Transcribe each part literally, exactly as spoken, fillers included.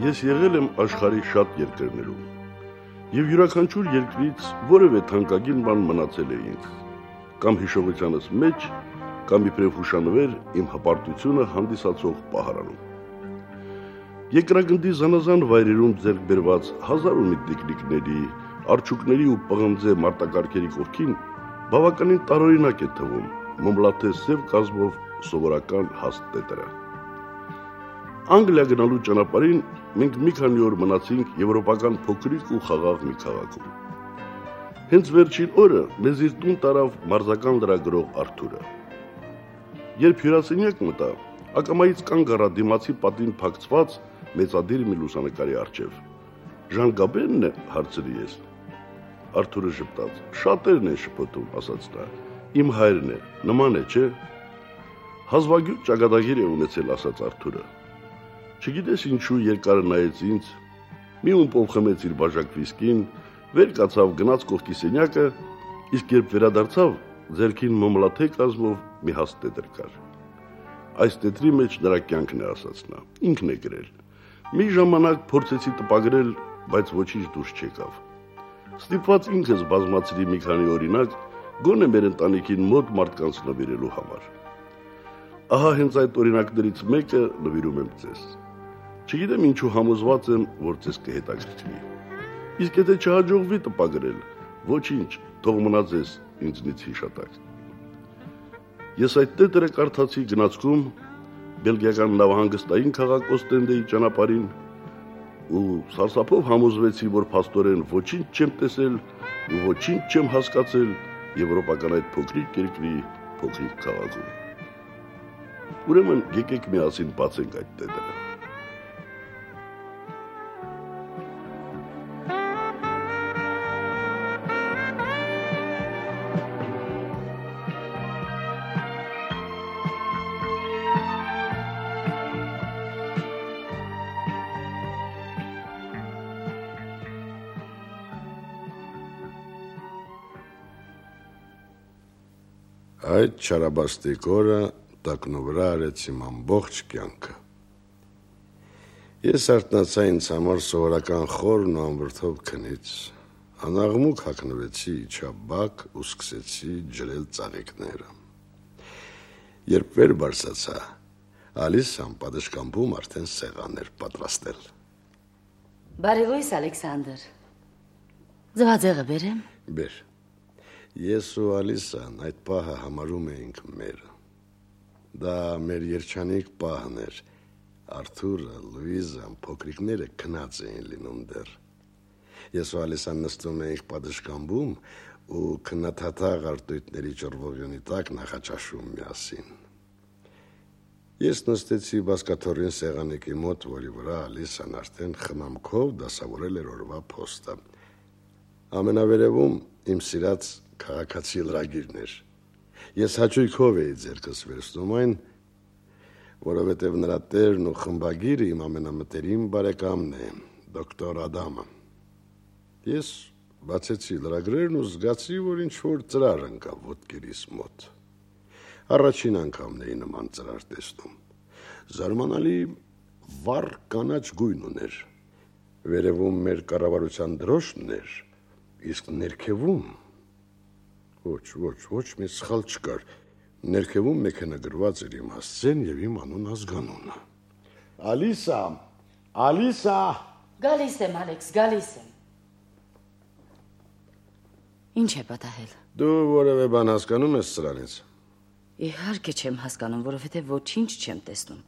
Ես եղել եմ աշխարհի շատ երկրներում, եւ յուրաքանչյուր երկրից որևէ թանկագին բան մնացել է ինձ, կամ հիշողությանս մեջ, կամ իբրև հուշանվեր իմ հպարտությունը հանդիսացող պահարանում։ Երկրագնդի զանազան վայրերում ձեռք բերված հազար ու մի տիկնիկների, արջուկների ու պղնձե մարտակարգերի կողքին բավականին տարօրինակ է թվում մոմլաթե սև կազմով սովորական հաստ տետրը։ Անգլիա գնալու ճանապարհին մենք մի քանի օր մնացինք եվրոպական փոքրիկ ու խաղաղ մի քաղաքում։ Հենց վերջին օրը մեզ իր տուն տարավ մարզական լրագրող Արթուրը։ Երբ հյուրասենյակ մտա, ակամայից կանգ առա դիմացի պատին փակցված մեծադիր մի լուսանկարի առջև։ Ժան Գաբենն է, հարցրի ես։ Արթուրը ժպտաց։ Շատերն են շփոթում, ասաց նա։ Իմ հայրն է, նման է, չէ՞։ Հազվագյուտ ճակատագիր է ունեցել, ասաց Արթուրը։ Չգիտես ինչու երկար նայեց ինձ, մի ումպով խմեց իր բաժակ վիսկին, վեր կացավ գնաց կողքի սենյակը, իսկ երբ վերադարձավ, ձեռքին մոմլաթե կազմով մի հաստ տետր կար։ Այս տետրի մեջ նրա կյանքն է, ասաց նա, ինքն է գրել։ Մի ժամանակ փորձեցի տպագրել, բայց ոչինչ դուրս չեկավ։ Ստիպված ինքս բազմացրի մի քանի օրինակ, գոնե մեր ընտանիքին մոտ մարդկանց նվիրելու համար։ Ահա հենց այդ օրինակներից մեկը նվիրում եմ ձեզ։ Չգիտեմ ինչու համոզված եմ, որ ձեզ կհետաքրքրի։ Իսկ եթե չհաջողվի տպագրել, ոչինչ, թող մնա ձեզ ինձնից հիշատակ։ Ես այդ տետրը կարդացի գնացքում բելգիական նավահանգստային քաղաք Օստենդեի ճանապարհին ու սարսափով համոզվեցի, որ փաստորեն ոչինչ չեմ տեսել ու ոչինչ չեմ հասկացել եվրոպական այդ փոքրիկ երկրի փոքրիկ քաղաքում։ Ուրեմն եկեք միասին բացենք այդ տետրը։ Այդ չարաբաստիկ օրը տակնու վրա արեց իմ ամբողջ կյանքը։ Ես արթնացա ինձ համար սովորական խորն ու անվրդով քնից, անաղմուկ հագնվեցի, իջա բակ ու սկսեցի ջրել ծաղիկները։ Երբ վեր բարձրացա, Ալիսան պատշգամբում արդեն սեղան էր պատրաստել։ Բարի լույս, Ալեքսանդր։ Ձվածեղը բերեմ։ Բեր։ Ես ու Ալիսան այդ պահը համարում էինք մեր։ Դա մեր երջանիկ պահն էր։ Արթուրը, Լուիզան, փոքրիկները քնած էին լինում դեռ։ Ես ու Ալիսան նստում էինք պատշգամբում ու քննադատաղ արտույտների ճռվողյունի տակ նախաճաշում միասին։ Ես նստեցի բազկաթոռին սեղանիկի մոտ, որի վրա Ալիսան արդեն խնամքով դասավորել էր օրվա փոստը։ Ամենավերևում իմ սիրած քաղաքացի լրագիրն էր։ Ես հաճույքով էի ձեռքս վերցնում այն, որովհետև նրա տերն ու խմբագիրը իմ ամենամտերիմ բարեկամն է, դոկտոր Ադամը։ Ես բացեցի լրագրերն ու զգացի, որ ինչ-որ ծրար ընկավ ոտքերիս մոտ։ Առաջին անգամն էի նման ծրար տեսնում։ Զարմանալի վառ կանաչ գույն ուներ։ Վերևում մեր կառավարության դրոշն էր, իսկ ներքևում Ոչ, ոչ, ոչ մի սխալ չկար։ Ներքևում մեքենագրված էր իմ հասցեն եւ իմ անուն ազգանունը։ Ալիսա, Ալիսա։ Գալիս եմ, Ալեքս, գալիս եմ։ Ինչ է պատահել։ Դու որևէ բան հասկանում ես սրանից։ Իհարկե չեմ հասկանում, որովհետեւ ոչինչ չեմ տեսնում։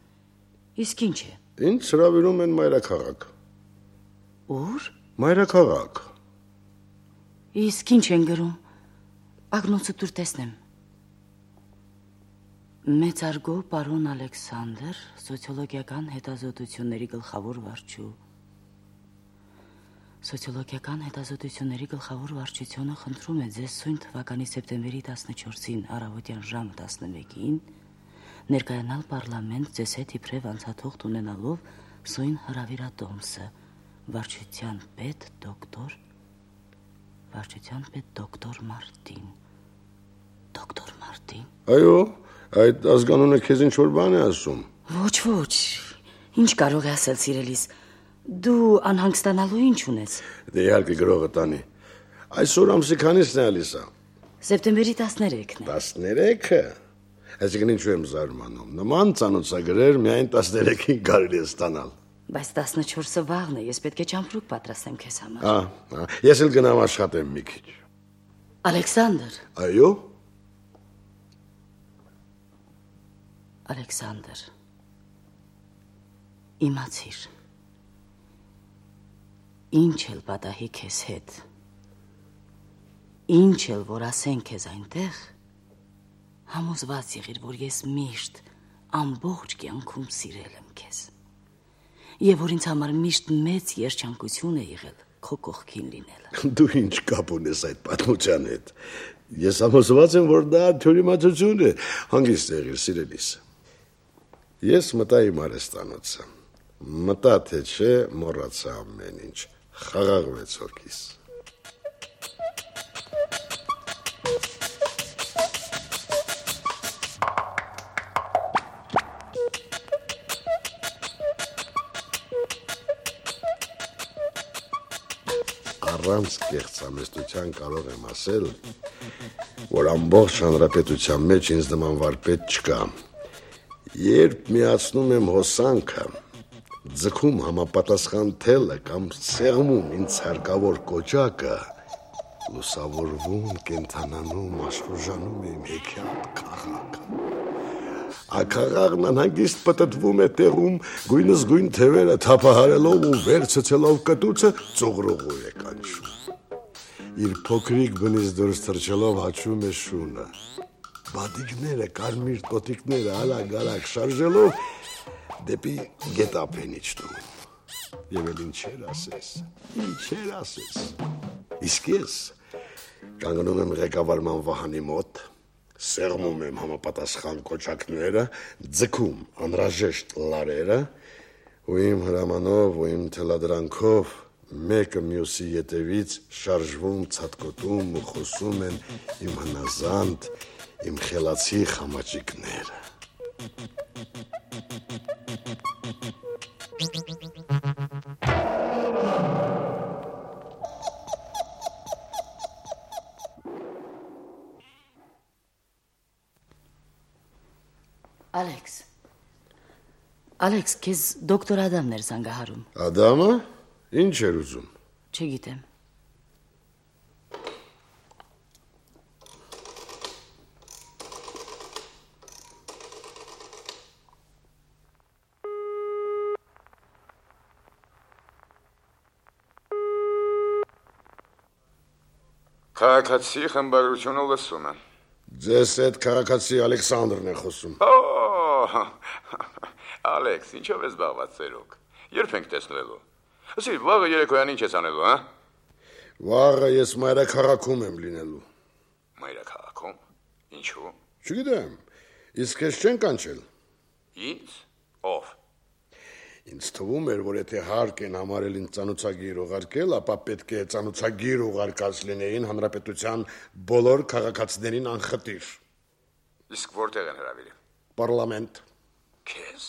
Իսկ ինչ է։ Ինձ հրավիրում են մայրաքաղաք։ Ուր։ Մայրաքաղաք։ Իսկ ինչ են գրում։ Ագնոցը դուր տեսնեմ։ Մեծարգո պարոն Ալեքսանդր, սոցիոլոգիական հետազոտությունների գլխավոր վարչու։ Սոցիոլոգիական հետազոտությունների գլխավոր վարչությունը խնդրում է ձեզ սույն թվականի սեպտեմբերի տասնչորսին առավոտյան ժամը տասնմեկին ներկայանալ պարլամենտ ձեզ հետ իբրև անցաթողտ ունենալով սույն հրավիրատոմսը, վարչության պետ դոկտոր Վարչության պետ դոկտոր Մարտին։ Դոկտոր Մարտին։ Այո, այդ ազգանունը քեզ ինչ-որ բան է ասում։ Ոչ, ոչ, ինչ կարող է ասել սիրելիս։ Դու անհանգստանալու ինչ ունես։ Դե իհարկե գրողը տանի։ Այսօր ամսի քանիսն է Ալիսա։ Սեպտեմբերի տասներեքն է։ տասներեքը։ Այսինքն ինչու եմ զարմանում։ Նման ծանոթագրեր միայն տասներեքին կարելի է ստանալ։ Բայց տասնչորսը վաղն է, ես պետք է ճամփրուկ պատրաստեմ քեզ համար։ Ահա, ես էլ գնամ աշխատեմ մի քիչ։ Ալեքսանդր։ Այո։ Ալեքսանդր։ Իմացիր։ Ինչ էլ պատահի քեզ հետ։ Ինչ էլ որ ասեն քեզ այնտեղ, համոզված եղիր, որ ես միշտ ամբողջ կյանքում սիրել եմ քեզ։ Եվ որ ինձ համար միշտ մեծ երջանկություն է եղել քո կողքին լինելը։ Դու ինչ կապ ունես այդ պատմության հետ։ Ես համոզված եմ, որ դա թյուրիմացություն է, հանգիստ եղիր սիրելիս։ Ես մտա իմ արհեստանոցը։ Մտա թե չէ, մոռացա ամեն ինչ, խաղաղվեց հոգիս։ Առանց կեղծամեստության կարող եմ ասել, որ ամբողջ հանրապետության մեջ ինձ նման վարպետ չկա։ Երբ միացնում եմ հոսանքը, ձգում համապատասխան թելը կամ սեղմում ինձ հարկավոր կոճակը, լուսավորվում, կենթանանում, աշխուժանում եմ հեքիաթ քաղաքը։ Աքաղաղն անհանգիստ պտտվում է տեղում, գույնս գույն թևերը թափահարելով ու վերցցելով կտուցը ծուղրուղու է կանչում։ Իր փոքրիկ բնից դուրս թռչելով հաչում է շունը։ Բադիկները, կարմիր տոտիկները ալագ-ալագ շարժելով դեպի գետափ են իջնում։ Եվ էլ ինչեր ասես, ինչեր ասես։ Իսկ ես կանգնում եմ ղեկավարման վահանի մոտ, սեղմում եմ համապատասխան կոճակները, ձգում անհրաժեշտ լարերը, ու իմ հրամանով ու իմ թելադրանքով մեկը մյուսի ետևից շարժվում, ցատկոտում ու խոսում են իմ հնազանդ, իմ խելացի խամաճիկները։ Ալեքս, Ալեքս, քեզ դոկտոր Ադամն էր զանգահարում։ Ադամը? Ինչ էր ուզում։ Չգիտեմ։ Քաղաքացի խմբագրությունը լսում եմ։ Ձեզ հետ քաղաքացի Ալեքսանդրն է խոսում։ Օ, Ալեքս, ինչով ես զբաղված ծերուկ։ Երբ ենք տեսնվելու։ Ասի, վաղը երեկոյան ինչ ես անելու, հա։ Վաղը ես մայրաքաղաքում եմ լինելու։ Մայրաքաղաքում։ Ինչու։ Չգիտեմ։ Իսկ քեզ չեն կանչել։ Ինձ։ Ով։ Ինձ թվում էր, որ եթե հարկ են համարել ինձ ծանոթագիր ուղարկել, ապա պետք է ծանոթագիր ուղարկած լինեին հանրապետության բոլոր քաղաքացիներին անխտիր։ Իսկ որտեղ են հրավիրել։ Պարլամենտ։ Քեզ։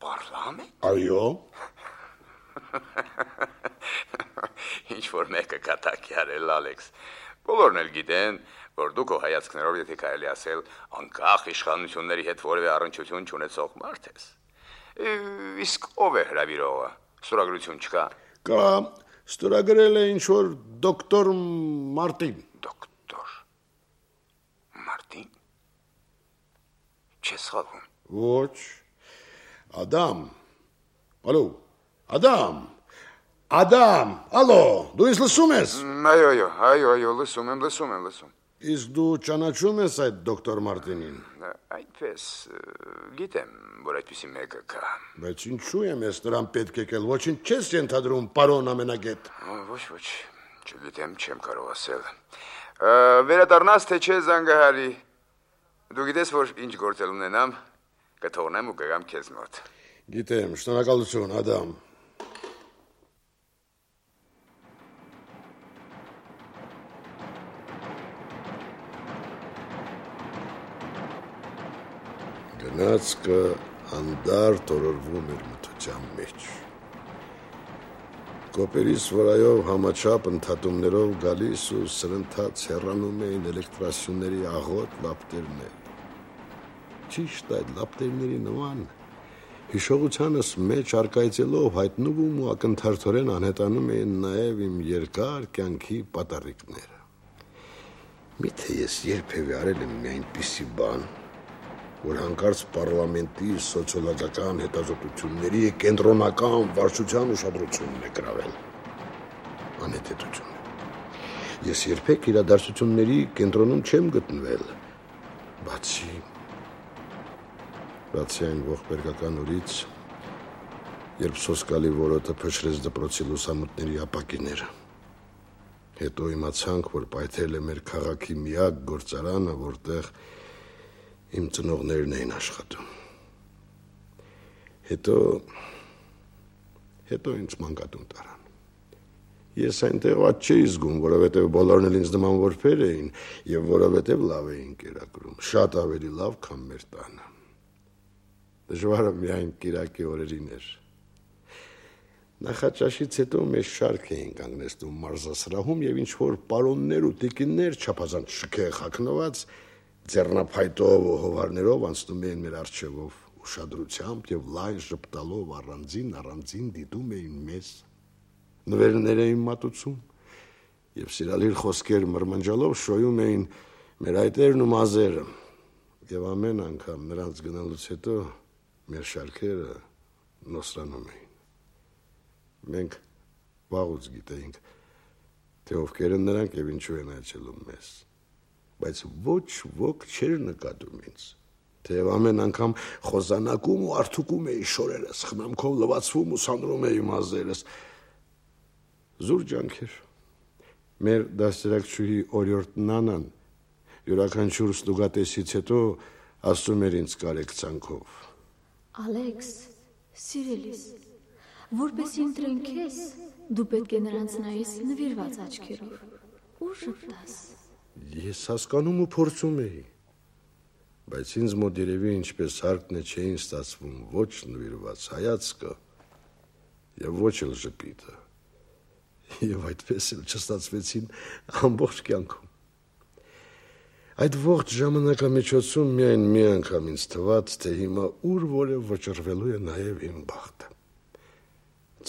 Պարլամենտ։ Այո։ Ինչ որ մեկը կատակի արել, Ալեքս։ Բոլորն էլ գիտեն, որ դու քո հայացքներով, եթե կարելի ասել, անկախ իշխանությունների հետ որևէ առնչություն չունեցող մարդ ես։ Իսկ ով է հրավիրողը։ Ստորագրություն չկա։ Կա, ստորագրել է ինչ որ դոկտոր Մարտին։ Դոկտոր Մարտին։ Չես խաղում։ Ոչ։ Ադամ։ Ալո։ Ադամ։ Ադամ, ալո, դու ինձ լսում ես։ Այո, այո, այո, այո, լսում եմ, լսում եմ, լսում։ Իսկ դու ճանաչում ես այդ դոկտոր Մարտինին։ Այդպես, գիտեմ, որ այդպիսի մեկը կա։ Բայց ինչու եմ ես նրան պետք եկել, ոչինչ չես ենթադրում, պարոն ամենագետ։ Ոչ, ոչ, չգիտեմ, չեմ կարող ասել։ Վերադառնաս թե չէ զանգահարի։ Դու գիտես, որ ինչ գործել ունենամ, կթողնեմ ու կգամ քեզ մոտ։ Գիտեմ, շնորհակալություն, Ադամ։ Գնացքը հանդարտ օրորվում էր մթության մեջ։ Կոպերից վրայով համաչափ ընդհատումներով գալիս ու սրընթաց հեռանում էին էլեկտրասյուների աղոտ լապտերներ։ Ճիշտ այդ լապտերների նման հիշողությանս մեջ արկայծելով հայտնվում ու ակնթարթորեն անհետանում էին նաև իմ երկար կյանքի պատառիկները։ Միթե ես երբևէ արել եմ մի այնպիսի բան, որ հանկարծ պարլամենտի սոցիոլոգիական հետազոտությունների կենտրոնական վարչության ուշադրությունն է գրավել։ Անհետեցություն։ Ես երբեք իրադարձությունների կենտրոնում չեմ գտնվել, բացի բացի այն ողբերգական օրից, երբ սոսկալի որոտը փշրեց դպրոցի լուսամուտների ապակիները։ Հետո իմացանք, որ պայթել է մեր քաղաքի միակ գործարանը, որտեղ իմ ծնողներն էին աշխատում։ Հետո հետո ինձ մանկատուն տարան։ Ես այնտեղ ված չէի զգում, որովհետև բոլորն էլ ինձ նման որբեր էին եւ որովհետև լավ էին կերակրում, շատ ավելի լավ, քան մեր տանը։ Դժվարը միայն կիրակի օրերին էր։ Նախաճաշից հետո մեզ շարք էին կանգնեցնում մարզասրահում եւ ինչ-որ պարոններ ու տիկիններ չափազանց շքեղ հագնված ձեռնափայտով ու հովարներով անցնում էին մեր առջևով ուշադրությամբ եւ լայն ժպտալով առանձին առանձին դիտում էին մեզ, նվերներ էին մատուցում եւ սիրալիր խոսքեր մրմնջալով շոյում էին մեր այտերն ու մազերը եւ ամեն անգամ նրանց գնալուց հետո մեր շարքերը նոսրանում էին։ Մենք վաղուց գիտեինք, թե ովքեր են նրանք եւ ինչու են այցելում մեզ, բայց ոչ ոք չէր նկատում ինձ, թեև ամեն անգամ խոզանակում ու արթուկում էի շորերս, խնամքով լվացվում ու սանրում էի մազերս։ Զուր ջանքեր։ Մեր դաստիարակչուհի օրիորդ Նանան յուրաքանչյուր ստուգատեսից հետո ասում էր ինձ կարեկցանքով. Ալեքս, սիրելիս, որպես ընտրենք քեզ, դու պետք է նրանց նայես նվիրված աչքերով։ Ու շփտաս։ Ես հասկանում ու փորձում էի, բայց ինձ մոտ երևի ինչպես հարկն է չէին ստացվում ոչ նվիրված հայացքը եւ ոչ էլ ժպիտը։ Եվ այդպես էլ չստացվեցին ամբողջ կյանքում։ Այդ ողջ ժամանակամիջոցում միայն մի անգամ ինձ թվաց, թե հիմա ուր որ է վճռվելու է նաև իմ բախտը։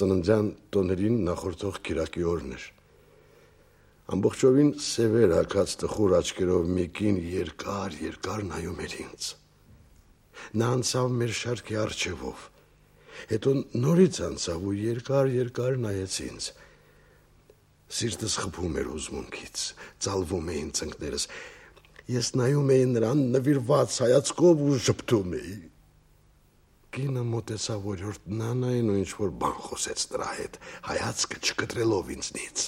Ծննդյան տոներին նախորդող կիրակի օրն էր։ Ամբողջովին սևեր հագած տխուր աչքերով մի կին երկար, երկար նայում էր ինձ։ Նա անցավ մեր շարքի առջևով, հետո նորից անցավ ու երկար, երկար նայեց ինձ։ Սիրտս խփում էր հուզմունքից, ծալվում էին ծնկներս։ Ես նայում էի նրան նվիրված հայացքով ու ժպտում էի։ Կինը մոտեցավ օրիորդ Նանային ու ինչ-որ բան խոսեց նրա հետ, հայացքը չկտրելով ինձնից։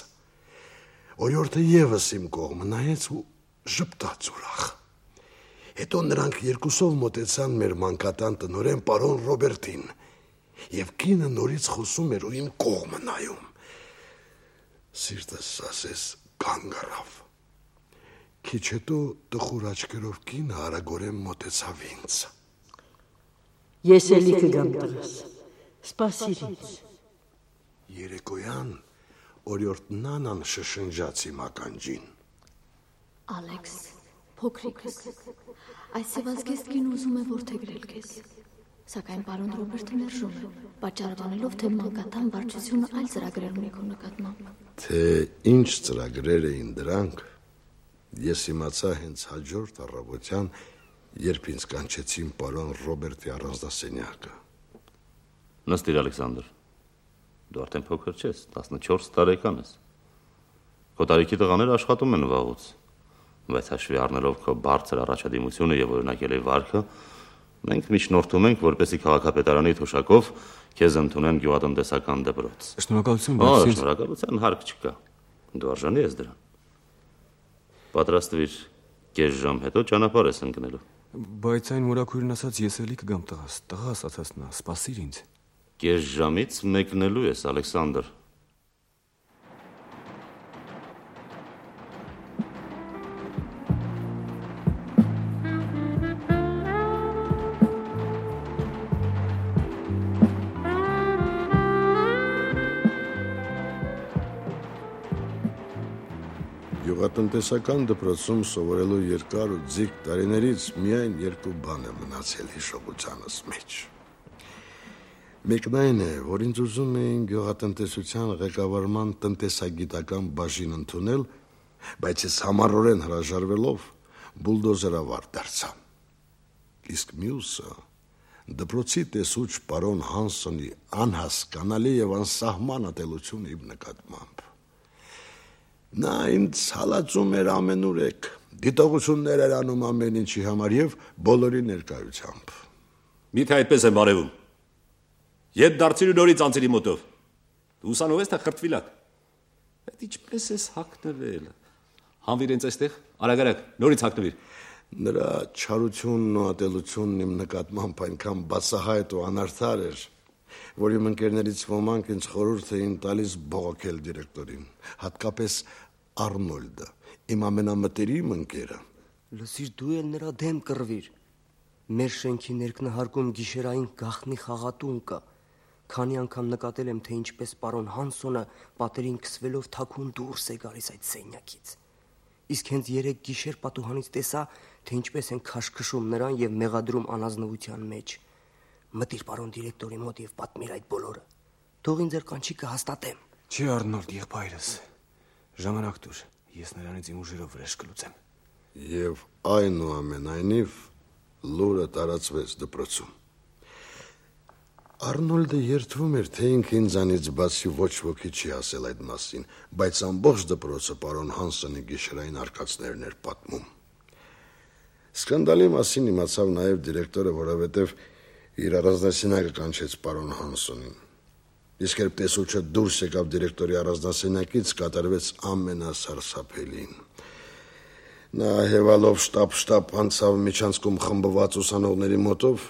Օրիորդը եւս իմ կողմը նայեց ու ժպտաց ուրախ։ Հետո նրանք երկուսով մոտեցան մեր մանկատան տնօրեն պարոն Ռոբերտին, եւ կինը նորից խոսում էր ու իմ կողմը նայում։ Սիրտս ասես կանգ առավ։ Քիչ հետո տխուր աչքերով կինը արագորեն մոտեցավ ինձ։ Ես էլի կգամ տղաս, սպասիր ինձ։ Երեկոյան օրիորդ Նանան շշնջաց իմ ականջին. Ալեքս, փոքրիկս, այս սևազգեստքին ուզում է որդեգրել քեզ, սակայն պարոն Ռոբերտը մերժում է, պատճառ տանելով, թե մանկատան վարչությունը այլ ծրագրեր ունի քո նկատմամբ։ Թե ինչ ծրագրեր էին դրանք, ես իմացա հենց հաջորդ առավոտյան, երբ ինձ կանչեցին պարոն Ռոբերտի առանձնասենյակը։ Նստիր, Ալեքսանդր, դու արդեն փոքր չես, տասնչորս տարեկան ես։ Քո տարիքի տղաները աշխատում են վաղուց, բայց հաշվի առնելով քո բարձր առաջադիմությունը եւ օրինակելի վարքը, մենք միջնորդում ենք, որպեսզի քաղաքապետարանի թոշակով քեզ ընդունեն գյուղատնտեսական դպրոց։ Շնորհակալություն, բայց ինձ շնորհակալության հարկ չկա։ Դու արժանի ես դրան։ Պատրաստվիր, կես ժամ հետո ճանապարհ ես ընկնելու։ Բայց այն մորաքույրն ասաց, ես էլի կգամ տղաս, տղաս ասաց նա, սպասիր ինձ։ Կես ժամից մեկնելու ես, Ալեքսանդր։ Գյուղատնտեսական դպրոցում սովորելու երկար ու ձիգ տարիներից միայն երկու բան է մնացել հիշողությանս մեջ։ Մեկն այն է, որ ինձ ուզում էին գյուղատնտեսության ղեկավարման տնտեսագիտական բաժին ընդունել, բայց ես համառորեն հրաժարվելով բուլդոզերավար դարձա։ Իսկ մյուսը դպրոցի տեսուչ պարոն Հանսոնի անհասկանալի եւ անսահման ատելությունը իմ նկատմամբ։ Նա ինձ հալածում էր ամենուրեք, դիտողություններ էր անում ամեն ինչի համար եւ բոլորի ներկայությամբ։ Միթե այդպես եմ արևում։ Ետ դարձիր ու նորից անցիր իմ մոտով։ Դու ուսանող ես թե խրտվիլակ։ Այդ ինչպես ես հագնվել։ Հանվիր ինձ այստեղ, արագ-արագ, նորից հագնվիր։ Նրա չարությունն ու ատելությունն իմ նկատմամբ այնքան բացահայտ ու անարդար էր, որ իմ ընկերներից ոմանք ինձ խորհուրդ էին տալիս բողոքել դիրեկտորին, հատկապես Արնոլդը, իմ ամենամտերիմ ընկերը։ Լսիր, դու էլ նրա դեմ կռվիր։ Մեր շենքի ներքնահարկում գիշերային գաղտնի խաղատուն կա։ Քանի անգամ նկատել եմ, թե ինչպես պարոն Հանսոնը պատերին քսվելով թաքուն դուրս է գալիս այդ սենյակից։ Իսկ հենց երեք գիշեր պատուհանից տեսա, թե ինչպես են քաշքշում նրան եւ մեղադրում անազնվության մեջ։ Մտիր պարոն դիրեկտորի մոտ եւ պատմիր այդ բոլորը։ Թող ինձ ձեր կանչիկը հաստատեմ։ Չի Արնոլդ եղբայրս։ Ժամանակ տուր, ես նրանից իմ ուժերով վրեժ կլուծեմ։ Եվ այնուամենայնիվ լուրը տարածվեց դպրոցում։ Արնոլդը երդվում էր, թե ինքը ինձանից բացի ոչ ոքի չի ասել այդ մասին, բայց ամբողջ դպրոցը պարոն Հանսոնի գիշերային արկածներն էր պատմում։ Սկանդալի մասին իմացավ նաև դիրեկտորը, որովհետև իր առանձնասենյակը կանչեց պարոն Հանսոնին։ Իսկ երբ տեսուչը դուրս եկավ դիրեկտորի առանձնասենյակից, կատարվեց ամենասարսափելին։ Նա հևալով շտապ-շտապ անցավ միջանցքում խմբված ուսանողների մոտով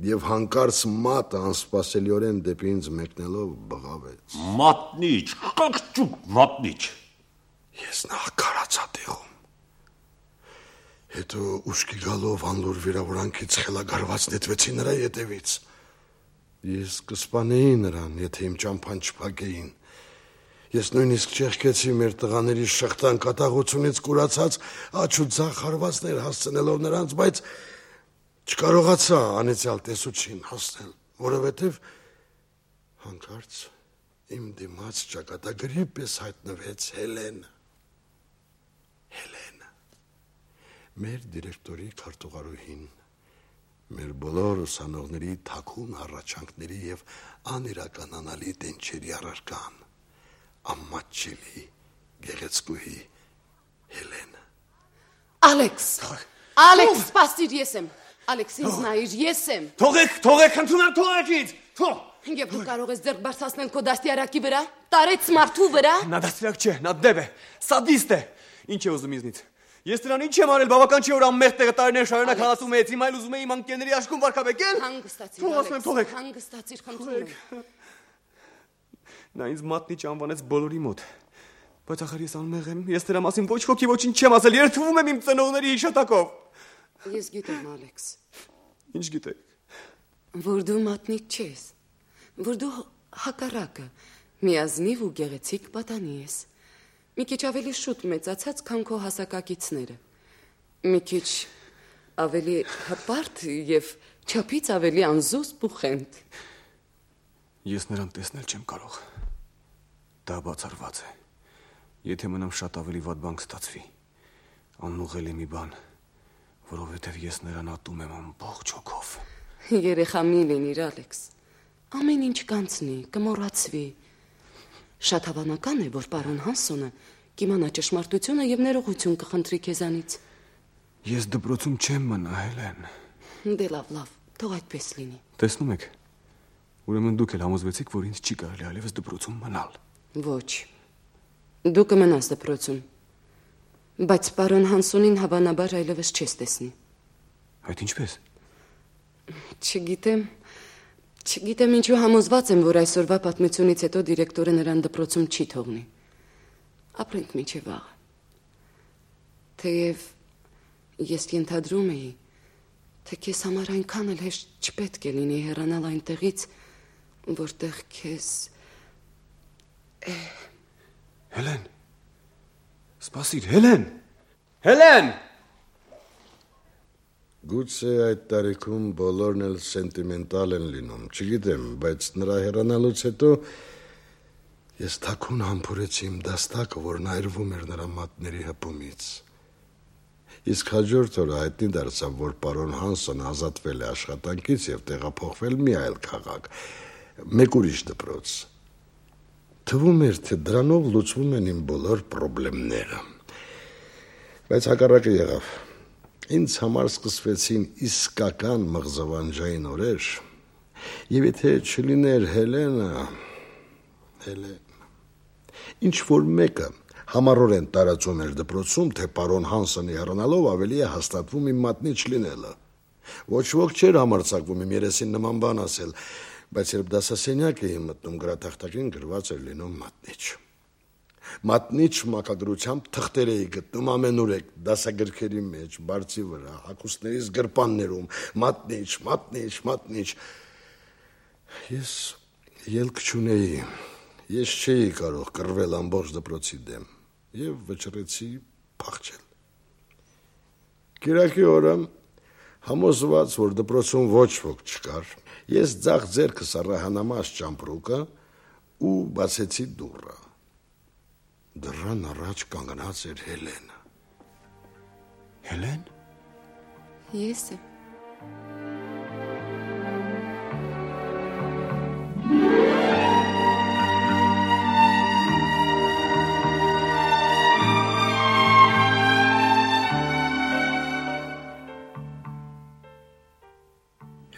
եւ հանկարծ մատը անսպասելիորեն դեպի ինձ մեկնելով բղավեց. Մատնիչ, կկճուկ մատնիչ։ Ես նա կարացա տեղում։ Հետո ուշքի գալով անլուր վիրավորանքից խելագարված նետվեցի նրա ետևից։ Ես կսպանեի նրան, եթե իմ ճամփան չփակեին։ Ես նույնիսկ չեղկեցի մեր տղաների շղթան կատաղությունից կուրացած աչ ու ձախ հարվածներ հասցնելով նրանց, բայց չկարողացա անեցյալ տեսուչին հասնել, որովհետև հանկարծ իմ դիմաց ճակատագրի պես հայտնվեց Հելենը։ Հելենը, մեր դիրեկտորի քարտուղարուհին, մեր բոլոր ուսանողների թաքուն հառաչանքների եւ անիրականանալի դենչերի առարկան, ամաչելի գեղեցկուհի Հելենը։ Ալեքս, Ալեքս, սպասիր, ես եմ։ Ալեքս, ինձ նայիր, ես եմ։ Թողեք, թողեք, ընդունեմ, թողեք ինձ։ Թող։ Եվ դու կարող ես ձեռք բարձրացնել քո դաստիարակի վրա, տարեց մարդու վրա։ Նա դաստիարակ չէ, նա դև է, սադիստ է։ Ինչ է ուզում ինձնից։ Ես նրան ինչ եմ արել, բավական չի որ անմեղ տեղը տարիներ շարունակ հալածում է, հիմա էլ ուզում է իմ անկերների աշկում վարքաբեկել։ Հանգստացիր, Ալեքս, հանգստացիր, խնդրում եմ։ Նա ինձ մատնիչ անվանեց բոլորի մոտ։ Բայց ախր ես անմեղ եմ, ես նրա մասին ոչ ոքի ոչինչ չեմ ասել, երդվում եմ իմ ծնողների հիշատակով։ Ես գիտեմ, Ալեքս։ Ինչ գիտեք։ Որ դու մատնիչ չես, որ դու հակառակը, միազնիվ ու գեղեցիկ պատանի ես։ Մի քիչ ավելի շուտ մեծացած, քան քո հասակակիցները։ Մի քիչ ավելի հպարտ եւ չափից ավելի անզուսպ ու խենթ։ Ես նրան տեսնել չեմ կարող։ Դա բացառված է։ Եթե մնամ շատ ավելի վատ բան կստացվի, անուղելի մի բան, որովհետև ես նրան ատում եմ ամբողջ հոգով։ Երեխա մի լինիր, Ալեքս։ Ամեն ինչ կանցնի, կմոռացվի։ Շատ հավանական է, որ պարոն Հանսոնը կիմանա ճշմարտությունը եւ ներողություն կխնդրի քեզանից։ Ես դպրոցում չեմ մնա, Հելեն։ Դե լավ, լավ, թող այդպես լինի։ Տեսնում եք։ Ուրեմն դուք էլ համոզվեցիք, որ ինձ չի կարելի այլևս դպրոցում մնալ։ Ոչ։ Դու կմնաս դպրոցում։ Բայց պարոն Հանսոնին հավանաբար այլևս չես տեսնի։ Այդ ինչպես։ Չգիտեմ, չգիտեմ ինչու համոզված եմ, որ այսօրվա պատմությունից հետո դիրեկտորը նրան դպրոցում չի թողնի։ Ապրենք մինչև վաղը։ Թեև ես ենթադրում էի, թե քեզ համար այնքան էլ հեշտ չպետք է լինի հեռանալ այնտեղից, որտեղ քեզ Հելեն, Սպասիր, Հելեն։ Հելեն։ Գուցե այդ տարիքում բոլորն էլ սենտիմենտալ են լինում, չգիտեմ, բայց նրա հեռանալուց հետո ես թաքուն համբուրեցի իմ դաստակը, որն այրվում էր նրա մատների հպումից։ Իսկ հաջորդ օրը հայտնի դարձավ, որ պարոն Հանսոնը ազատվել է աշխատանքից եւ տեղափոխվել մի այլ քաղաք, մեկ ուրիշ դպրոց։ Թվում էր, թե դրանով լուծվում են իմ բոլոր խնդիրները։ Բայց հակառակը եղավ։ Ինձ համար սկսվեցին իսկական մղձավանջային օրեր, եւ եթե չլիներ Հելենը, Հելեն, ինչ որ մեկը համառորեն տարածում էր դպրոցում, թե պարոն Հանսոնի հեռանալով ավելի է հաստատվում իմ մատնի չլինելը։ Ոչ ոք չէր համարձակվում իմ երեսին նման բան ասել, բայց երբ դասասենյակ էի մտնում, գրատախտակին գրված էր լինում մատնիչ։ Մատնիչ մակագրությամբ թղթեր էի գտնում ամենուրեք, դասագրքերի մեջ, բարձի վրա, հագուստներից գրպաններում, մատնիչ, մատնիչ, մատնիչ։ Ես ելք չունեի, ես չէի կարող կռվել ամբողջ դպրոցի դեմ եւ վճռեցի փախչել։ Կիրակի օրը համոզված, որ դպրոցում ոչ ոք չկար, ես ձախ ձեռքս առահանամաս ճամպրուկը ու բացեցի դուռը։ Դռան առաջ կանգնած էր Հելենը։ Հելեն։ Ես եմ։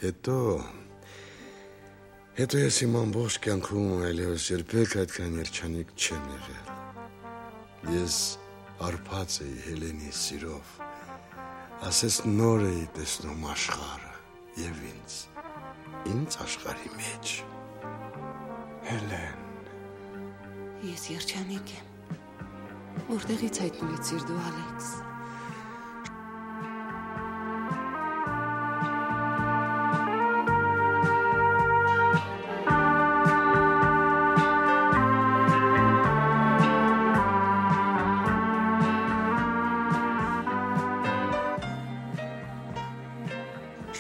Հետո, հետո ես իմ ամբողջ կյանքում այլևս երբեք այդքան երջանիկ չեմ եղել։ Ես արփած էի Հելենի սիրով, ասես նոր էի տեսնում աշխարհը եւ ինձ, ինձ աշխարհի մեջ։ Հելեն։ Ես երջանիկ եմ։ Որտեղից հայտնվեցիր դու, Ալեքս։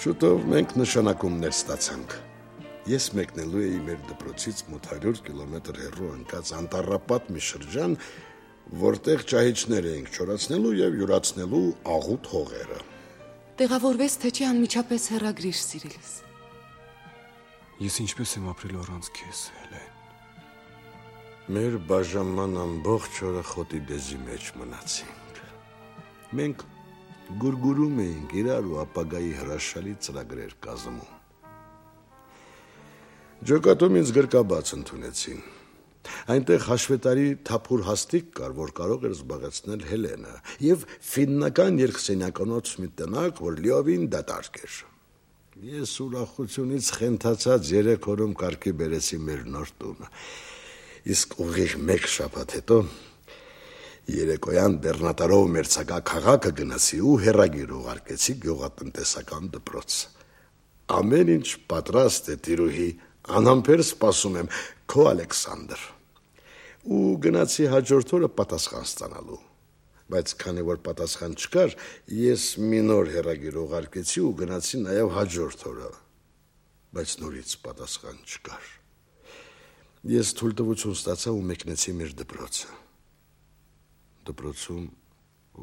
Շուտով մենք նշանակումներ ստացանք։ Ես մեկնելու էի մեր դպրոցից մոտ հարյուր կիլոմետր հեռու ընկած անտառապատ մի շրջան, որտեղ ճահիճներ էինք չորացնելու եւ յուրացնելու աղուտ հողերը։ Տեղավորվես, թե չի անմիջապես հեռագրիր, սիրելիս։ Ես ինչպես եմ ապրել առանց քեզ, Հելեն։ Մեր բաժանման ամբողջ օրը խոտի դեզի մեջ մնացինք։ Մենք գուրգուրում էինք իրար ու ապագայի հրաշալի ծրագրեր կազմում։ Ջոկատում ինձ գրկաբաց ընդունեցին։ Այնտեղ հաշվետարի թափուր հաստիկ կար, որ կարող էր զբաղեցնել Հելենը, եւ ֆիննական երկսենյականոց մի տնակ, որ լիովին դատարկ էր։ Ես ուրախությունից խենթացած երեք օրում կարգի բերեցի մեր նոր տունը։ Իսկ ուղիղ մեկ շաբաթ հետո երեկոյան բեռնատարով մերձակա քաղաքը գնացի ու հեռագիր ուղարկեցի գյուղատնտեսական դպրոց։ Ամեն ինչ պատրաստ է, տիրուհի, անհամբեր սպասում եմ, քո Ալեքսանդր։ Ու գնացի հաջորդ օրը պատասխան ստանալու։ Բայց քանի որ պատասխան չկար, ես մի նոր հեռագիր ուղարկեցի ու գնացի նաև հաջորդ օրը։ Բայց նորից պատասխան չկար։ Ես թույլտվություն ստացա ու մեկնեցի մեր դպրոցը։ Դպրոցում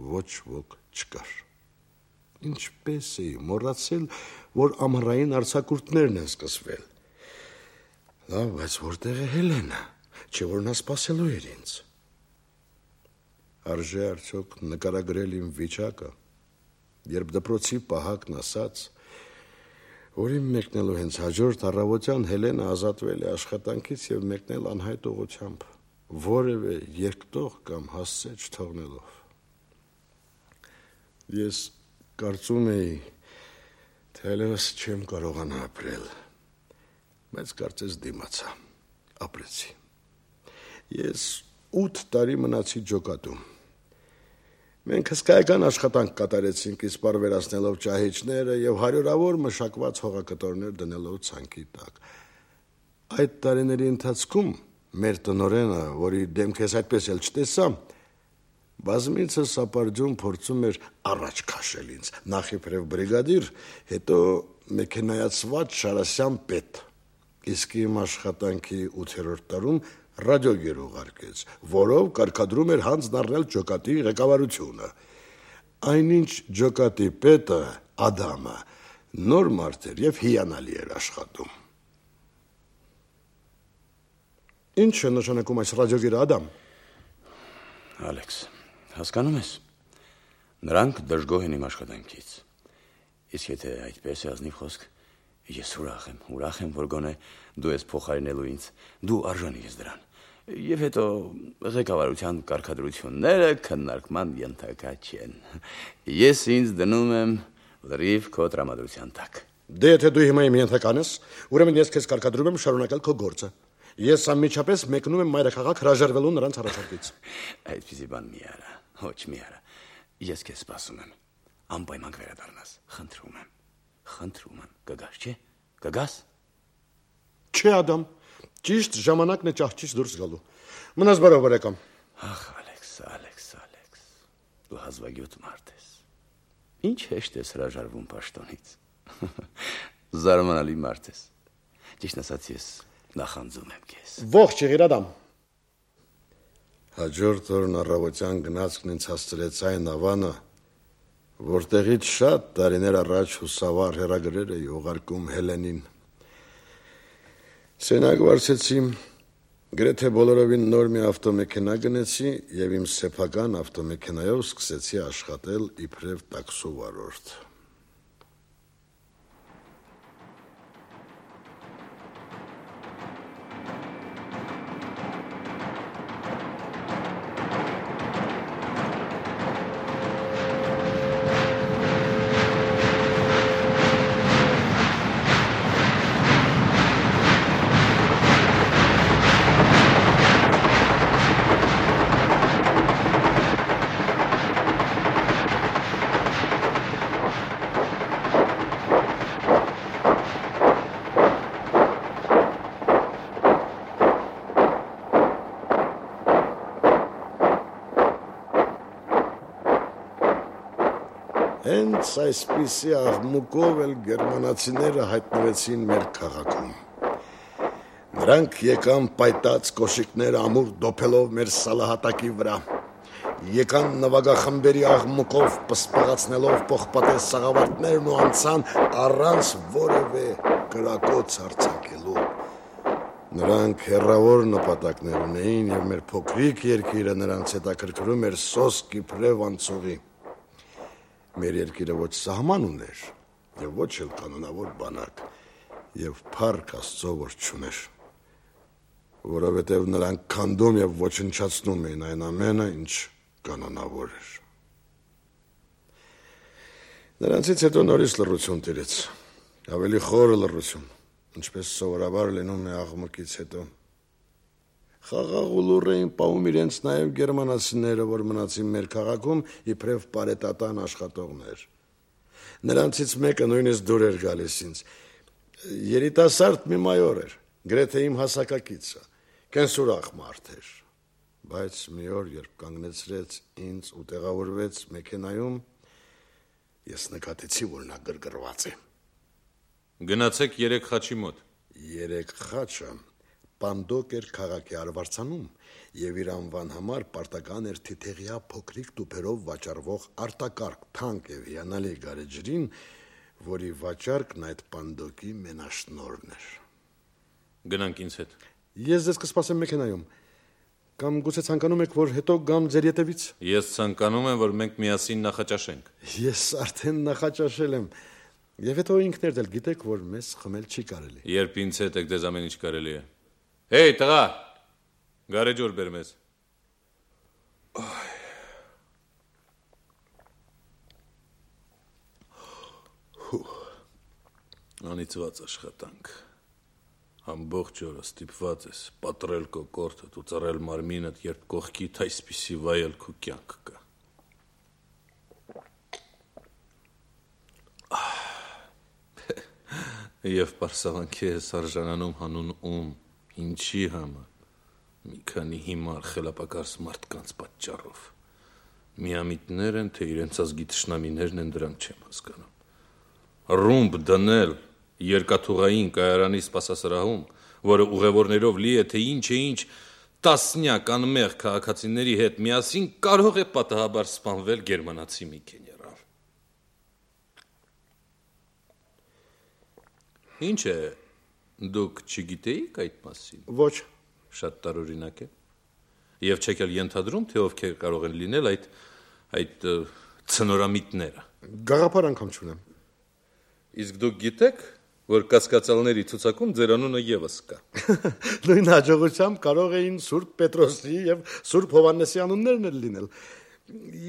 ոչ ոք չկար։ Ինչպես էի մոռացել, որ ամառային արձակուրդներն են սկսվել։ Լավ, բայց որտեղ է Հելենը, չէ որ նա սպասելու էր ինձ։ Արժե արդյոք նկարագրել իմ վիճակը, երբ դպրոցի պահակն ասաց, որ իմ մեկնելու հենց հաջորդ առավոտյան Հելենը ազատվել է աշխատանքից եւ մեկնել անհայտ ուղղությամբ, որևէ երկտող կամ հասցե չթողնելով։ Ես կարծում էի, թե այլևս չեմ կարողանա ապրել, բայց կարծես դիմացա, ապրեցի։ Ես ութ տարի մնացի ջոկատում։ Մենք հսկայական աշխատանք կատարեցինք, իսպառ վերացնելով ճահիճները եւ հարյուրավոր մշակված հողակտորներ դնելով ցանկի տակ։ Այդ տարիների ընթացքում մեր տնօրենը, որի դեմք ես այդպես էլ չտեսա, բազմիցս սապարջում փորձում էր առաջ քաշել ինձ, նախ իբրև բրիգադիր, հետո մեքենայացված Շարասյան պետ։ Իսկ իմ աշխատանքի ութերորդ տարում ռադիոգեր ուղարկեց, որով կարգադրում էր հանձն առնել ջոկատի ղեկավարությունը։ Այնինչ ջոկատի պետը, Ադամը, նոր մարդ էր և հիանալի էր աշխատում։ Ինչ է նշանակում այս ռադիոգերը, Ադամ։ Ալեքս, հասկանում ես, նրանք դժգոհ են իմ աշխատանքից։ Իսկ եթե այդպես է ազնիվ խոսք, ես ուրախ եմ, ուրախ եմ, որ գոնե դու ես փոխարինելու ինձ, դու արժանի ես դրան։ Եվ հետո ղեկավարության կարգադրությունները քննարկման ենթակա չեն։ Ես ինձ դնում եմ լրիվ քո տրամադրության տակ։ Դե եթե դու հիմա իմ ենթական ես, ուրեմն ես քեզ կարգադրում եմ շարունակել քո գործը։ Ես անմիջապես մեկնում եմ մայրաքաղաք հրաժարվելու նրանց առաջարկից։ Այդպիսի բան մի արա, ոչ մի արա։ Ես քեզ սպասում եմ։ Անպայման կվերադառնաս, խնդրում եմ։ Խնդրում եմ, կգաս, չէ՞։ Կգաս։ Չէ, Ադամ, ճիշտ ժամանակն է ճահճից դուրս գալու։ Մնաս բարով, բարեկամ։ Ախ, Ալեքս, Ալեքս, Ալեքս, դու հազվագյուտ մարդ ես։ Ինչ հեշտ ես հրաժարվում պաշտոնից։ Զարմանալի մարդ ես։ Ճիշտ ասած, ես նախանձում եմ քեզ։ Ողջ եղիր, Ադամ։ Հաջորդ օրն առավոտյան գնացքն ինձ հասցրեց այն ավանը, որտեղից շատ տարիներ առաջ հուսավար հեռագրեր էի ուղարկում Հելենին։ Սենյակ վարձեցի, գրեթե բոլորովին նոր մի ավտոմեքենա գնեցի և իմ սեփական ավտոմեքենայով սկսեցի աշխատել իբրև տաքսու վարորդ։ Հենց այսպիսի աղմուկով էլ գերմանացիները հայտնվեցին մեր քաղաքում։ Նրանք եկան պայտած կոշիկներ ամուր դոփելով մեր սալահատակի վրա, եկան նվագախմբերի աղմուկով պսպղացնելով պողպատե սաղավարտներն ու անցան առանց որևէ կրակոց արձակելու։ Նրանք հեռավոր նպատակներ ունեին և մեր փոքրիկ երկիրը նրանց հետաքրքրում էր սոսկ իբրև անցուղի։ Մեր երկիրը ոչ սահման ուներ և ոչ էլ կանոնավոր բանակ և փառք Աստծո, որ չուներ, որովհետև նրանք քանդում և ոչնչացնում էին այն ամենը, ինչ կանոնավոր էր։ Նրանցից հետո նորից լռություն տիրեց, ավելի խորը լռություն, ինչպես սովորաբար լինում է աղմուկից հետո։ Խաղաղ ու լուռ էին պահում իրենց նաև գերմանացիները, որ մնացին մեր քաղաքում իբրև պարետատան աշխատողներ։ Նրանցից մեկը նույնիսկ դուր էր գալիս ինձ։ Երիտասարդ մի մայոր էր, գրեթե իմ հասակակիցը, կենսուրախ մարդ էր։ Բայց մի օր, երբ կանգնեցրեց ինձ ու տեղավորվեց մեքենայում, ես նկատեցի, որ նա գրգռված է։ Գնացեք երեք խաչի մոտ։ Երեք խաչը Պանդոկ էր քաղաքի արվարձանում և իր անվան համար պարտական էր թիթեղյա փոքրիկ տուփերով վաճառվող արտակարգ թանկ և հիանալի գարեջրին, որի վաճառքն այդ Պանդոկի մենաշնորհն էր։ Գնանք ինձ հետ։ Ես ձեզ կսպասեմ մեքենայում։ Կամ գուցե ցանկանում եք, որ հետո գամ ձեր ետևից։ Ես ցանկանում եմ, որ մենք միասին նախաճաշենք։ Ես արդեն նախաճաշել եմ։ Եվ հետո ինքներդ էլ գիտեք, որ մեզ խմել չի կարելի։ Երբ ինձ հետ եք, դες ամեն ինչ կարելի է։ Հեյ, տղա, գարեջուր բեր մեզ։ Անիծված աշխատանք։ Ամբողջ օրը ստիպված ես պատռել քո կորտդ ու ծռել մարմինդ, երբ կողքիդ այսպիսի վայելք ու կյանք կա։ Եվ պարսավանքի ես արժանանում հանուն ում, ինչի համար, մի քանի հիմար խելապակարս մարդկանց պատճառով։ Միամիտներ են, թե իրենց ազգի թշնամիներն են, դրանք չեմ հասկանում։ Ռումբ դնել երկաթուղային կայարանի սպասասրահում, որը ուղևորներով լի է, թե ինչ է ինչ տասնյակ անմեղ քաղաքացիների հետ միասին կարող է պատահաբար սպանվել գերմանացի մի գեներալ։ Ինչ է, դուք չգիտեիք այդ մասին։ Ոչ, շատ տարօրինակ է։ Եվ չեք էլ ենթադրում, թե ովքեր կարող են լինել այդ այդ ցնորամիտները։ Գաղափար անգամ չունեմ։ Իսկ դուք գիտեք, որ կասկածալների ցուցակում ձեր անունը եւս կա։ Նույն հաջողությամբ կարող էին Սուրբ Պետրոսի եւ Սուրբ Հովհաննեսի անուններն էլ լինել։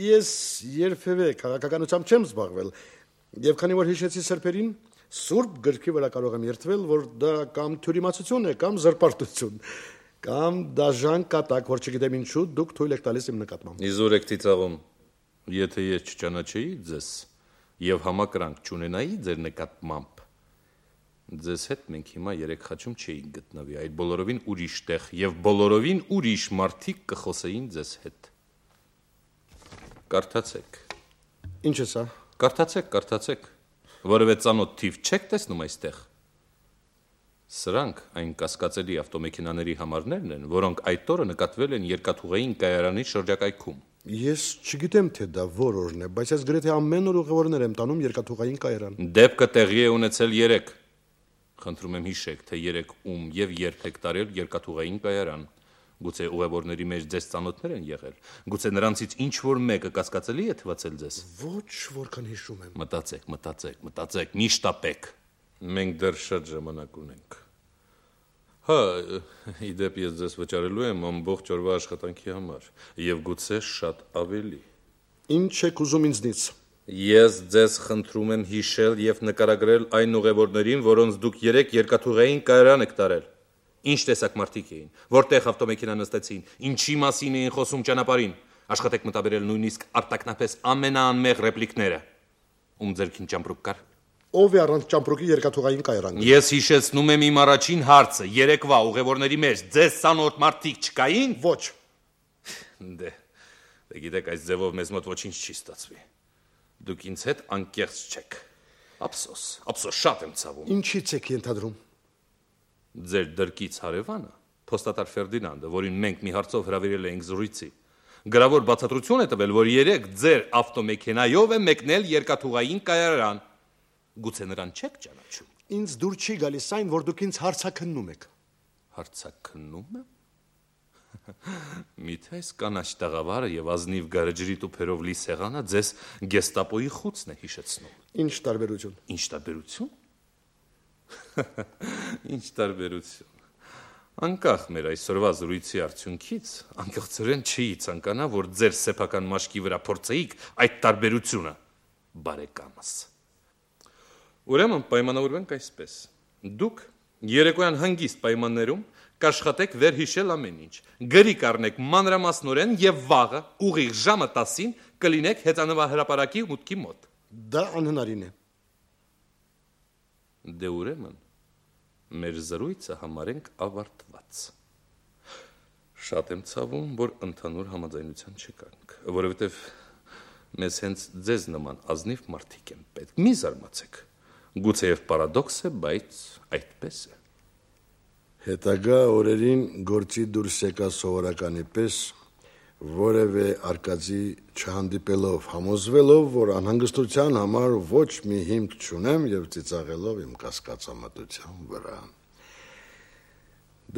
Ես երբևէ քաղաքականությամբ չեմ զբաղվել, եւ քանի որ հիշեցի սրբերին, Սուրբ գրքի վրա կարող եմ երթվել, որ դա կամ թյուրիմացություն է, կամ զրպարտություն, կամ դաժան կատակ, որ չգիտեմ ինչու դուք թույլ եք տալիս իմ նկատմամբ։ Իզուր եք ծիծաղում, եթե ես չճանաչեի ձեզ եւ համակրանք չունենայի ձեր նկատմամբ, ձեզ հետ մենք հիմա երեք խաչում չէինք գտնվի, այդ բոլորովին ուրիշ տեղ եւ բոլորովին ուրիշ մարդիկ կխոսեին ձեզ հետ։ Կարդացեք։ Ինչ է սա։ Կարդացեք, կարդացեք, որովհետեւ ծանոթ թիվ չեք տեսնում այստեղ։ Սրանք այն կասկածելի ավտոմեքենաների համարներն են, որոնք այդ օրը նկատվել են երկաթուղային կայարանի շրջակայքում։ Ես չգիտեմ, թե դա որ օրն է, բայց ես գրեթե ամեն օր ուղևորներ եմ տանում երկաթուղային կայարան։ Դեպքը տեղի է ունեցել երեք։ Խնդրում եմ հիշեք, թե երեք ում եւ երբ եք տարել երկաթուղային կայարան։ Գուցե ուղևորների մեջ ձեզ ծանոթներ են եղել։ Գուցե նրանցից ինչ որ մեկը կասկածելի է թվացել ձեզ։ Ոչ, որքան հիշում եմ։ Մտածեք, մտածեք, մտածեք, մի շտապեք։ Մենք դեռ շատ ժամանակ ունենք։ Հա, իդեպ ես ձեզ վճարելու եմ ամբողջ օրվա աշխատանքի համար եւ գուցե շատ ավելի։ Ինչ եք ուզում ինձնից։ Ես ձեզ խնդրում եմ հիշել եւ նկարագրել այն ուղևորներին, որոնց դուք երեք երկաթուղային կայարան եք տարել։ Ինչ տեսակ մարդիկ էին, որտեղ ավտոմեքենա նստեցին, ինչի մասին էին խոսում ճանապարհին։ Աշխատեք մտաբերել նույնիսկ արտակնապես ամենաանմեղ ռեպլիկները։ Ում ձերքին ճամպրուկ կար։ Ով է առանց ճամպրուկի երկաթուղային կայարան։ Ես հիշեցնում եմ իմ առաջին հարցը, երեկվա ուղևորների մեջ ձեզ ցանոթ մարդիկ չկային։ Ոչ։ Դե, դե գիտեք, այս ձևով մեզ մոտ ոչինչ չի ստացվի։ Դուք ինձ հետ անկեղծ չեք։ Ափսոս, ափսոս շատ եմ ցավում։ Ինչից եք ենթադրում։ Ձեր դրկից հարևանը, փոստատար Ֆերդինանդը, որին մենք մի հարցով հրավիրել էինք զրույցի, գրավոր բացատրություն է տվել, որ երեք ձեր ավտոմեքենայով է մեկնել երկաթուղային կայարան։ Գուցե նրան չեք ճանաչում։ Ինձ դուր չի գալիս այն, որ դուք ինձ հարցաքննում եք։ Հարցաքննում եմ։ Միթե այս կանաչ տաղավարը եւ ազնիվ գարեջրի տուփերով լի սեղանը ձեզ գեստապոյի խուցն է հիշեցնում։ Ինչ տարբերություն։ Ինչ տարբերություն։ Ինչ տարբերություն։ Անկախ մեր այսօրվա զրույցի արդյունքից, անկեղծորեն չի ցանկանա, որ ձեր սեփական մաշկի վրա փորձեիք այդ տարբերությունը, բարեկամս։ Ուրեմն պայմանավորվենք այսպես. դուք երեկոյան հանգիստ պայմաններում կաշխատեք վերհիշել ամեն ինչ, գրի կառնեք մանրամասնորեն եւ վաղը ուղիղ ժամը տասին կլինեք հեծանվահրապարակի մուտքի մոտ։ Դա անհնարին է։ Դե ուրեմն մեր զրույցը համարենք ավարտված։ Շատ եմ ցավում, որ ընդհանուր համաձայնության չկանք, որովհետեւ մեզ հենց ձեզ նման ազնիվ մարդիկ են պետք։ Մի զարմացեք։ Գուցեև պարադոքս է, բայց այդպես է։ Հետագա օրերին գործի դուրս եկա սովորականի պես, որևէ արկածի չհանդիպելով, համոզվելով, որ անհանգստության համար ոչ մի հիմք չունեմ եւ ծիծաղելով իմ կասկածամտության վրա։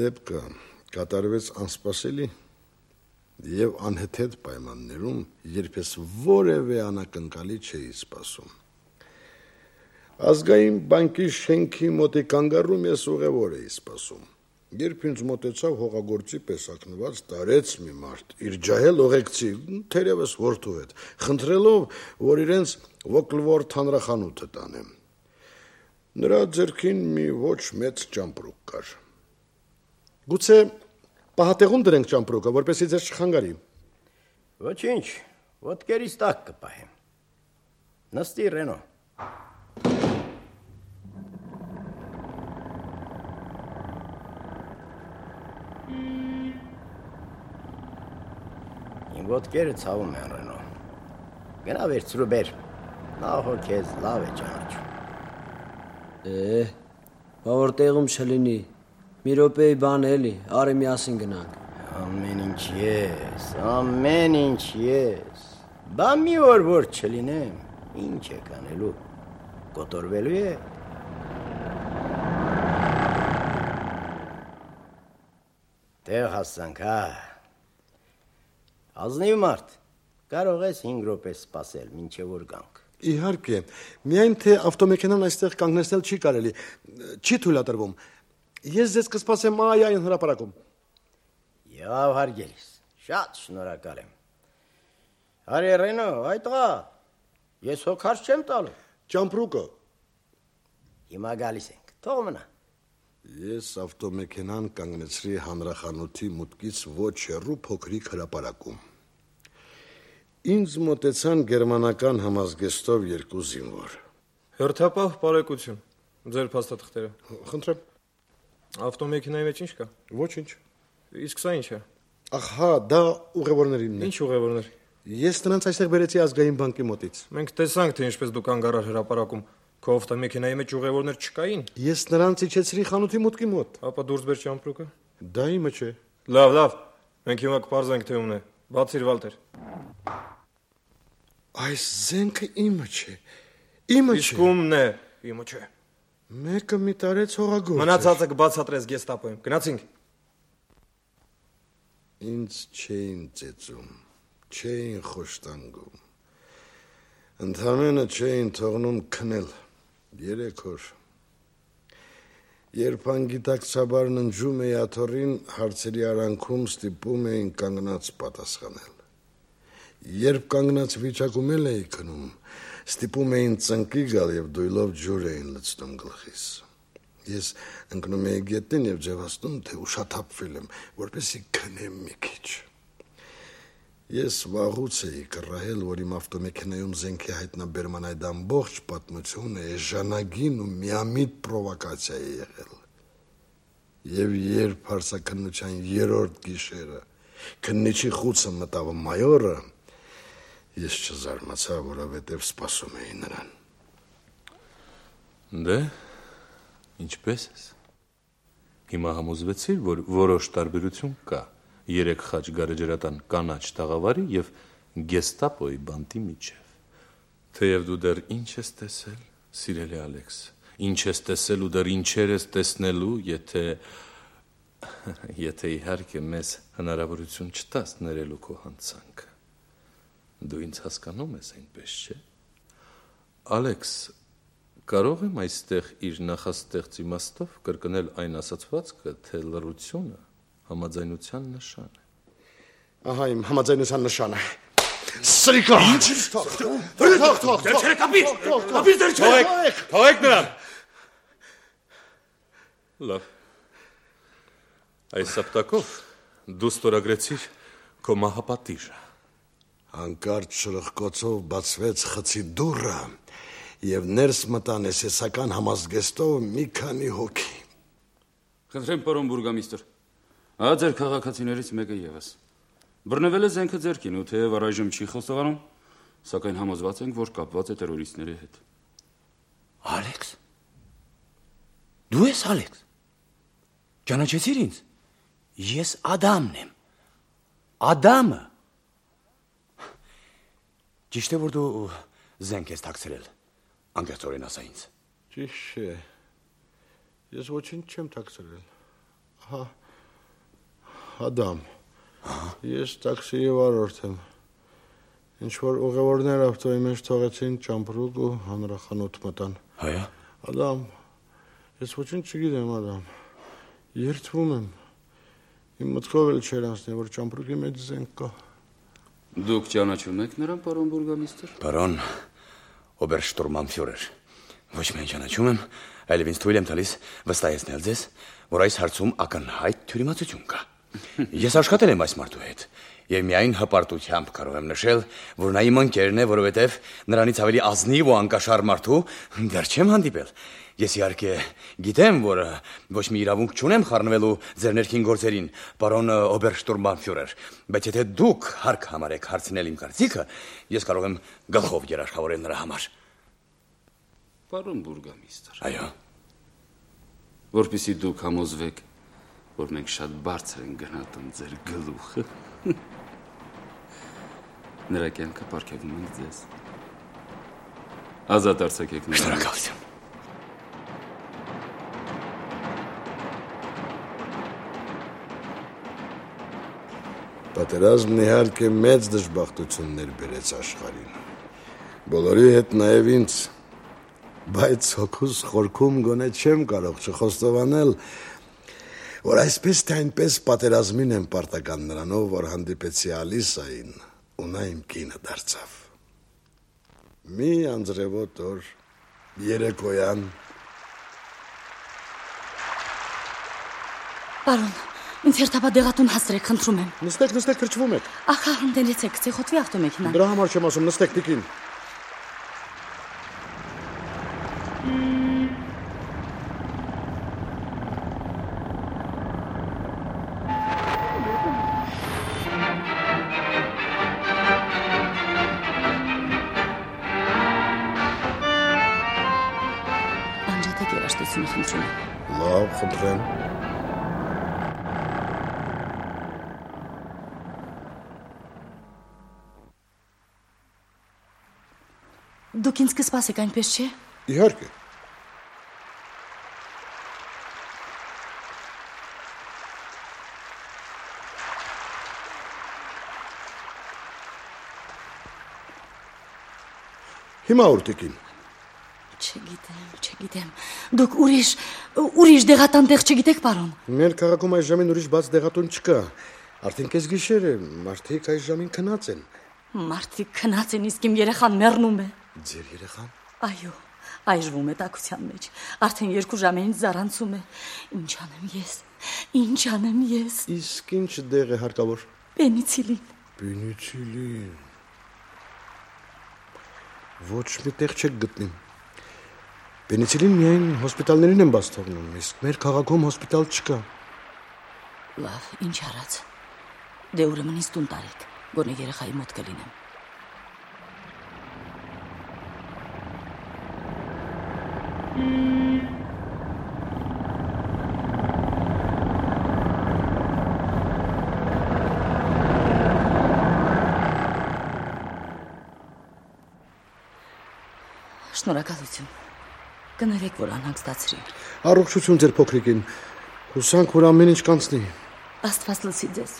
Դեպքը կատարվեց անսպասելի եւ անհեթեթ պայմաններում, երբ ես որևէ անակնկալի չէի սպասում։ Ազգային բանկի շենքի մոտի կանգառում ես ուղևոր էի սպասում։ Երբ ինձ մոտեցավ հողագործի պես ակնված տարեց մի մարդ, իր ջահել ուղեկցի, թերևս որդու հետ, խնդրելով, որ իրենց Ոկլվորթ հանրախանութը տանեմ։ Նրա ձեռքին մի ոչ մեծ ճամպրուկ կար։ Գուցե պահատեղում դրենք ճամպրուկը, որպեսզի ձեզ չխանգարի։ Ոչինչ, ոտքերից տակ կպահեմ։ Նստի, Ռենո։ Իմ ոտքերը ցավում են, Ռենո։ Գնա վերցրու բեր։ Նա հո քեզ լավ է ճանաչում։ Է, բա որ տեղում չլինի։ Մի րոպեի բան էլի, արի միասին գնանք։ Ամեն ինչ ես, ամեն ինչ ես։ Բա մի օր որ չլինեմ, ինչ է կանելու։ Կոտորվելու է։ Տեղ հասանք, հա։ Ազնիվ մարդ, կարող ես հինգ րոպե սպասել, մինչև որ գանք։ Իհարկե, միայն թե ավտոմեքենան այստեղ կանգնեցնել չի կարելի, չի թույլատրվում։ Ես ձեզ կսպասեմ այ այն հրապարակում։ Եղավ հարգելիս, շատ շնորհակալ եմ։ Հարի Ռենո, այդ տղա, ես հոգարց չեմ տալու։ Ճամպրուկը։ Հիմա գալիս ենք, թող մնա։ Ես ավտոմեքենան կանգնեցրի հանրախանութի մուտքից ոչ հեռու փոքրիկ հրապարակում։ Ինձ մոտեցան գերմանական համազգեստով երկու զինվոր։ Հերթապահ բարեկություն, ձեր փաստաթղթերը։ Խնդրեմ։ Ավտոմեքենայի մեջ ինչ կա։ Ոչինչ։ Իսկ սա ինչ է։ Ահա, դա ուղևորներինն է։ Ինչ ուղևորներ։ Ես նրանց այստեղ բերեցի ազգային բանկի մոտից։ Մենք տեսանք, թե ինչպես դուք անգարար հրապարակում։ Քո ավտոմեքենայի մեջ ուղևորներ չկային։ Ես նրանց իջեցրի խանութի մուտքի մոտ։ Ապա դուրս բեր ճամպրուկը։ Դա իմը չէ։ Լավ, լավ։ Մենք հիմա կպարզենք, թե ումն է։ Բացիր, Վալտեր։ Այս զենքը իմը չէ։ Իմը չէ։ Իսկ ումն է։ Իմը չէ։ Մեկը մի տարեց հողագործ։ Մնացածը կբացատրես գեստապոյում։ Գնացինք։ Ինձ չէին ծեծում, չէին խոշտանգում։ Ընդամենը չէին թողնում քնել։ Երեք օր։ Երբ անգիտակցաբար ննջում էի աթոռին, հարցերի արանքում ստիպում էին կանգնած պատասխանել։ Երբ կանգնած վիճակում էլ էի քնում, ստիպում էին ծնկի գալ եւ դույլով ջուր էին լցնում գլխիս։ Ես ընկնում էի գետնին եւ ձևացնում, թե ուշաթափվել եմ, որպեսզի քնեմ մի քիչ։ Ես վաղուց էի կռահել, որ իմ ավտոմեքենայում զենքի հայտնաբերման այդ ամբողջ պատմությունը էժանագին ու միամիտ պրովոկացիա է եղել։ Եվ երբ հարցաքննության երրորդ գիշերը քննիչի խուցը մտավ մայորը, ես չզարմացա, որովհետև սպասում էի նրան։ Դե, ինչպես ես։ Հիմա համոզվեցիր, որ որոշ տարբերություն կա երեք խաչ գարեջրատան կանաչ տաղավարի եւ գեստապոյի բանտի միջև։ Թեև դու դեռ ինչ ես տեսել, սիրելի Ալեքս, ինչ ես տեսել ու դեռ ինչեր ես տեսնելու, եթե եթե իհարկե մեզ հնարավորություն չտաս ներելու քո հանցանքը։ Դու ինձ հասկանում ես այնպես, չէ՞։ Ալեքս, կարող եմ այստեղ իր նախաստեղծ իմաստով կրկնել այն ասացվածքը, թե լռությունը համաձայնության նշան է։ Ահա իմ համաձայնության նշանը։ Սրիկա։ Ինչ ես թող։ Թող, թող, թող։ Դեր կապիր։ Կապիր դեր չեք։ Թողեք նրան։ Լավ։ Այս սապտակով դու ստորագրեցիր քո մահապատիժը։ Հանկարծ շրխկոցով բացվեց խցի դուռը եւ ներս մտան էսեսական համազգեստով մի քանի հոգի։ Խնդրեմ, պարոն բուրգամիստր։ Ահա ձեր քաղաքացիներից մեկը եւս։ Բռնվել է զենքը ձեռքին ու թեև առայժմ չի խոստովանում, սակայն համոզված ենք, որ կապված է տերորիստների հետ։ Ալեքս։ Դու ես Ալեքս։ Ճանաչեցիր ինձ։ Ես Ադամն եմ։ Ադամը։ Ճիշտ է, որ դու զենք ես թաքցրել։ Անկեղծորեն ասա ինձ։ Ճիշտ է։ Ես ոչինչ չեմ թաքցրել։ Հա Ադամ, ես տաքսիի վարորդ եմ, ինչ-որ ուղևորներ ավտոյի մեջ թողեցին ճամպրուկ ու հանրախանութ մտան։ Հայա։ Ադամ, ես ոչինչ չգիտեմ, Ադամ, երդվում եմ, իմ մտքով էլ չեր անցնի, որ ճամպրուկի մեջ զենք կա։ Դուք ճանաչում եք նրան, պարոն բուրգամիստր։ Պարոն օբերշտուրմանֆյուրեր, ոչ միայն ճանաչում եմ, այլև ինձ թույլ եմ տալիս վստահեցնել ձեզ, որ այս հարցում ակնհայտ թյուրիմացություն կա։ Ես աշխատել եմ այս մարդու հետ եւ միայն հպարտությամբ կարող եմ նշել, որ նա իմ ընկերն է, որովհետեւ նրանից ավելի ազնիվ ու անկաշար մարդու դեռ չեմ հանդիպել։ Ես իհարկե գիտեմ, որ ոչ մի իրավունք չունեմ խառնվելու ձեր ներքին գործերին, պարոն օբերշտուրմբանֆյուրեր, բայց եթե դուք հարկ համարեք հարցնել իմ կարծիքը, ես կարող եմ գլխով երաշխավորել նրա համար։ Պարոն բուրգամիստր։ Այո։ Որպեսզի դուք համոզվեք, որ մենք շատ բարձր ենք գնահատում ձեր գլուխը։ Նրա կյանքը պարգևում ենք ձեզ։ Ազատ արձակեք նրան։ Շնորհակալություն։ Պատերազմն իհարկե մեծ դժբախտություններ բերեց աշխարհին։ Բոլորի հետ նաև ինձ, բայց հոգուս խորքում գոնե չեմ կարող չխոստովանել, որ այսպես թե այնպես պատերազմին եմ պարտական նրանով, որ հանդիպեցի Ալիսային, ու նա իմ կինը դարձավ։ Մի անձրևոտ օր, երեկոյան։ Պարոն, ինձ հերթապա դեղատուն հաստրեք, խնդրում եմ։ Նստեք, նստեք, թրջվում եք։ Ախա, հանդելեցեք, ցեխոթվի ավտոմեքենան։ Դրա համար չեմ ասում, նստեք, տիկին։ Անջատեք երաշտությունը, խնդրում եմ։ Լավ, խնդրեմ։ Դուք ինձ կսպասեք, այնպես չէ։ Իհարկե։ Հիմա ուր տիկին։ Չգիտեմ, չգիտեմ։ Դուք ուրիշ, ուրիշ դեղատան տեղ չգիտեք, պարոն։ Մեր քաղաքում այս ժամին ուրիշ բաց դեղատուն չկա։ Արդեն կես գիշեր է, մարդիկ այս ժամին քնած են։ Մարդիկ քնած են, իսկ իմ երեխան մեռնում է։ Ձեր երեխան։ Այո, այժվում է տաքության մեջ։ Արդեն երկու ժամերից զարանցում է։ Ինչ անեմ ես։ Ինչ անեմ ես։ Իսկ ինչ դեղ է հարկավոր։ Պենիցիլին։ Պենիցիլին։ Ոչ մի տեղ չեք գտնի։ Պենիցիլին միայն հոսպիտալներին են բաց թողնում, իսկ մեր քաղաքում հոսպիտալ չկա։ Լավ, ինչ արած։ Դե ուրեմն ինձ տուն տարեք, գոնե երեխայի մոտ կլինեմ։ Շնորհակալություն։ Կներեք, որ անհանգստացրի։ Առողջություն ձեր փոքրիկին։ Հուսանք, որ ամեն ինչ կանցնի։ Աստված լսի ձեզ։